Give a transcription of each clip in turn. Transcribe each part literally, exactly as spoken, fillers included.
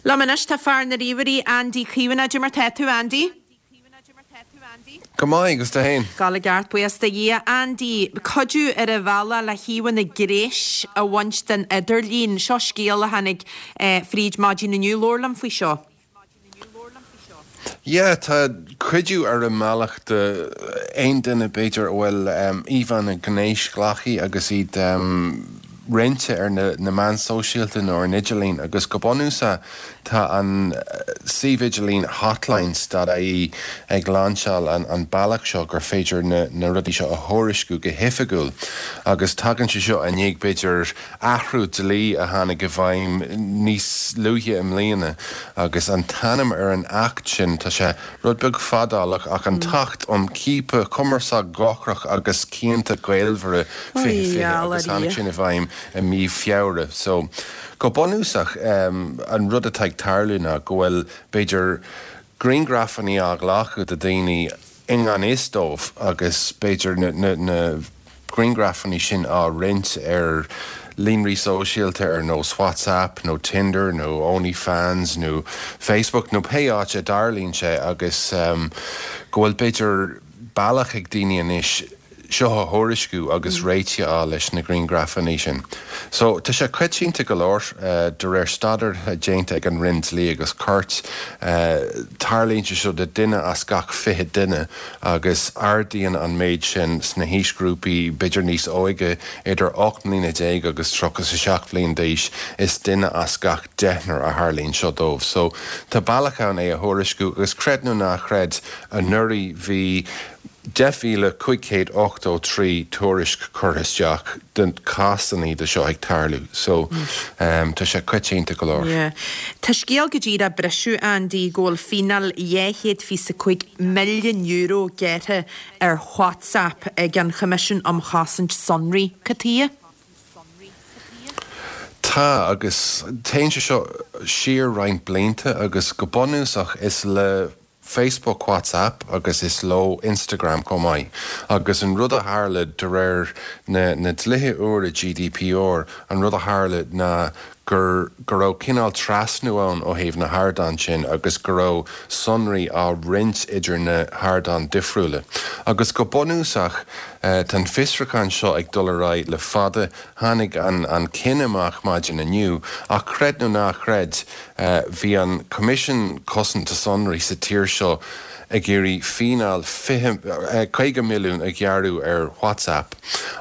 Liom anois tá fear na ríomhairí Andy Caomhánach mar tá tú Andy? Go maith agus tú féin. Go ceart buíochas do Dhia Andy cuidiú ar an bhealach le híomhánna gnéis a bhaint den idirlíon seo scéal a tháinig eh, fríd maidin inniu labhair liom faoi seo. Yeah, tá cuidiú ar an mbealach do aon duine b'fhéidir a bhfuil um, íomhánna gnéasghlactha agus iad um, roinnte ar na, na meáin sóisialta nó ar an idirlíon agus go bunúsach tá an eh, suíomh idirlín hotlines.ie ag lainseáil an, an bealach seo gur féidir na, na rudaí seo a thuairisciú go hoifigiúil. agus tagann sé seo i ndiaidh b'fhéidir athrú dlí a tháinig i bhfeidhm níos luaithe i mbliana agus an t-ainm ar an acht sin tá sé rud beag fadálach ach an tAcht um Chiapadh Cumarsáid Dhochrach agus Cionta Gaolmhara fiche agus tháinig sin i bhfeidhm i mí Feabhra. So go bunúsach um, an rud atá ag tarlú ná go bhfuil b'fhéidir grianghrafanna á nglacadh de daoine i ngan fhios dóibh agus b'fhéidir na, na, na grianghrafanna sin á roinnt ar líonraí sóisialta ar nós WhatsApp nó Tinder nó OnlyFans nó Facebook nó pé áit a dtarlaíonn sé agus um, go bhfuil b'fhéidir bealach ag daoine anois seo a thuairisciú agus mm. réiteach a leis na grianghrafanna sin. So tá sé coitianta go leor uh, de réir staidéar déanta ag an Roinn Dlí agus Cirt uh, tarlaíonn sé seo de duine as gach fiche duine agus ardaíonn an méid sin sna haoisghrúpaí b'fhéidir níos óige idir ocht mbliana déag agus tríocha a seacht bliain d'aois is duine as gach deichniúr a tharlaíonn seo dóibh. So tá bealach ann é a thuairisciú agus creid nó ná creid anuraidh bhí deich míle cúig chéad ochtó trí tuairisc curtha isteach den cásanna de seo ag tarlú, so um, tá sé coitianta go leor. Yeah. Tá scéal go dtí a briseadh Andy go bhfuil fíneáil dhá chéad fiche cúig milliún euro gearrtha ar WhatsApp ag an Choimisiún um Chosaint Sonraí Cad chuige? Tá agus téann sé seo siar roinnt blianta agus go bunúsach is le Facebook WhatsApp agus is leo Instagram chomh maith. agus an rud a tharla de réir na, na dlíthe úra GDPR an rud a tharla ná gur go raibh cineál trasnú ann ó thaobh na hardáin sin agus go raibh sonraí á roinnt idir na hardáin difriúla. Agus go bunúsach uh, tá an fiosrúchán seo ag dul ar aghaidh le fada tháinig an, an cinneadh amach maidin inniu ach creid nó ná creid uh, bhí an Coimisiún Cosanta Sonraí sa tír seo ag iarraidh fíneáil caoga milliún a ghearradh ar WhatsApp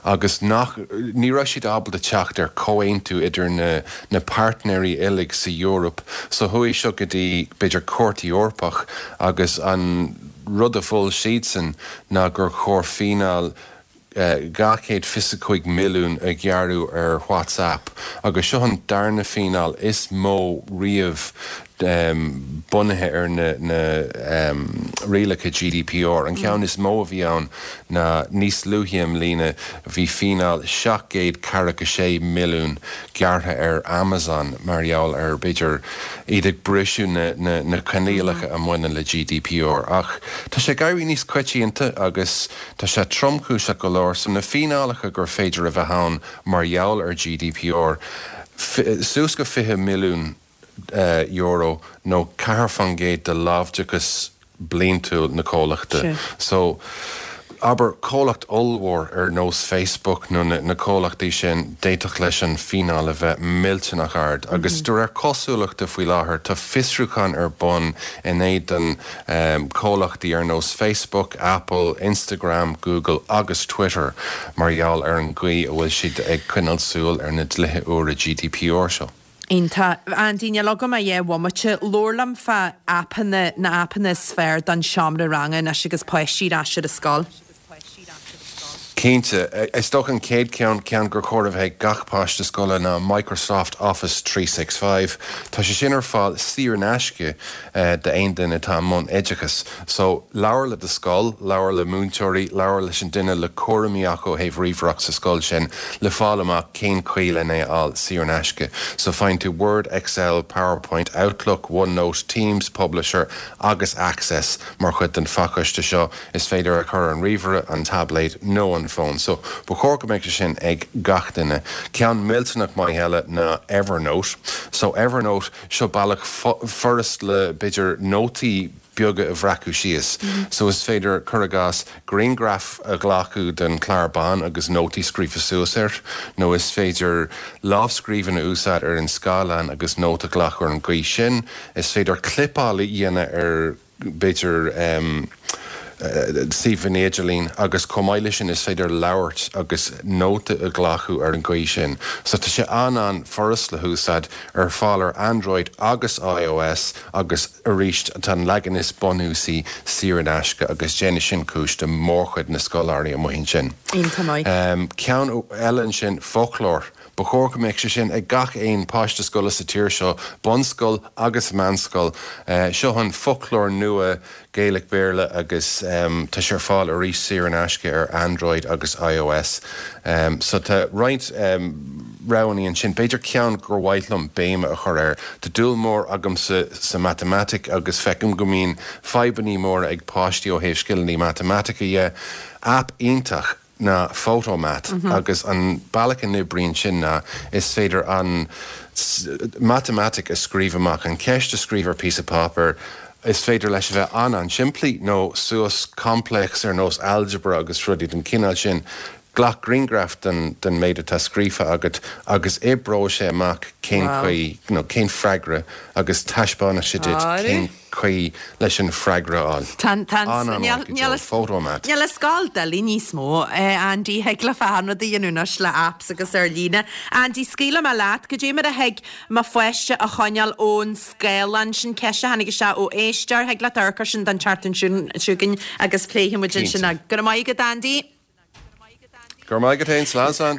agus nach ní raibh siad ábalta teacht ar comhaontú idir na, na partnerií uilig sa Eoraip, so chuaigh seo go dtí b'fhéidir Cúirt Eorpach agus an rud a mhol siadsan ná gur chóir fíneáil dhá chéad fiche cúig milliún a ghearradh ar WhatsApp agus seo an darna fíneáil is mó riamh um, bunaithe ar na, na um, rialacha GDPR. An ceann is mó a bhí ann ná níos luaithe i mbliana bhí fíneáil seacht gcéad ceathracha sé milliún gearrtha ar Amazon mar gheall ar b'fhéidir iad ag briseadh na, na, na coinníollacha a mbaineann le GDPR. Ach tá sé ag éirí níos coitianta agus tá sé tromchúiseach go leor so na fíneálacha gur féidir a bheith ann mar gheall ar GDPR. Suas go fiche milliún uh, euro nó ceathair faoin gcéad de láimhdeachas bliantúil na comhlachta. So abair comhlacht ollmhór ar nós Facebook nó na, na comhlachtaí sin d'fhéadfadh leis an fíneáil a bheith millteanach ard, agus mm -hmm. de réir cosúlachta faoi láthair tá fiosrúchán ar bun in éadan um, comhlachtaí ar nós Facebook, Apple, Instagram, Google agus Twitter mar gheall ar an gcaoi a bhfuil siad ag coinneáil súil ar na dlíthe úra GDPR seo. Iontach Andy níl agam ach dhá bhomaite labhair liom fá aipeanna na aipeanna is fearr don seomra ranga anois agus páistí ar ais ar an scoil. Cinnte is dócha an chéad ceann ceann gur chóir a bheith gach páiste scoile ná Microsoft Office trí six five. Tá sé sin ar fáil saor in aisce uh, d'aon duine atá i mbun oideachas. So labhair le do scoil, labhair le múinteoirí, labhair leis an duine le cúraimí acu ó thaobh ríomhaireacht sa scoil sin le fáil amach cén chaoi lena é fháil saor in aisce. So faigheann tú Word, Excel, PowerPoint, Outlook, OneNote, Teams, Publisher agus Access mar chuid den phacáiste seo is féidir a chur an ríomhaire an tablet nó an an fón. So ba chóir go mbeadh sé sin ag gach duine. Ceann millteanach maith eile ná Evernote. So Evernote seo bealach furast le b'fhéidir nótaí beaga a bhreacadh síos. Mm -hmm. So is féidir cuir i gcás grianghraf a ghlacadh den chlár bán agus nótaí scríofa suas air, nó is féidir lámhscríbhinn a úsáid ar an scáileán agus nóta a ghlacadh ar an gcaoi sin, is féidir clipeáil a dhéanamh ar b'fhéidir um, suíomh an idirlín agus chomh maith leis sin is féidir labhairt agus nóta a ghlacadh ar an gcaoi sin. So tá sé an-an-fhurast le húsáid ar fáil ar Android agus iOS agus arís tá an leagan is bunúsaí saor in aisce agus déanann sin cúis do mórchuid na scoláirí amuigh ansin. Um, ceann eile ansin foclóir. Ba chóir go mbeadh sé sin ag gach aon páiste scoile sa tír seo, bunscoil agus meánscoil. Uh, seo an foclóir nua Gaeilge Béarla agus um, tá sé ar fáil arís saor in aisce ar Android agus iOS. Um, so tá roinnt um, roghanna ansin b'fhéidir ceann gur mhaith liom béim a chur air. Tá dúil mór agamsa sa matamaitic agus feicim go mbíonn fadhbanna móra ag páistí ó thaobh scileanna matamaitice dhe. App iontach ná Photomath mm -hmm. agus an bealach a n-oibríonn sin ná is féidir an matamaitic a scríobh amach an ceist a scríobh ar píosa páipéir is féidir leis a bheith an an-simplí nó suas complex ar nós algebra agus rudaí den cineál sin. Glac grianghraf den, den méid atá scríofa agat agus oibreoidh sé amach cén chaoi nó cén freagra agus taispeánfaidh sé duit cén chaoi leis an freagra a fháil. Photomath. Níl an scoil doiligh níos mó Andy thig le achan rud a dhéanamh anois le apps agus ar líne. Andy scaoilfidh mé leat goidé mar a thig mo pháiste a choinneáil ón scáileán sin ceist a tháinig isteach ó éisteoir thig leat amharc air sin don tseachtain seo chugainn agus pléifidh muid ansin. Go raibh maith agat Andy. Gur maith go tain slán.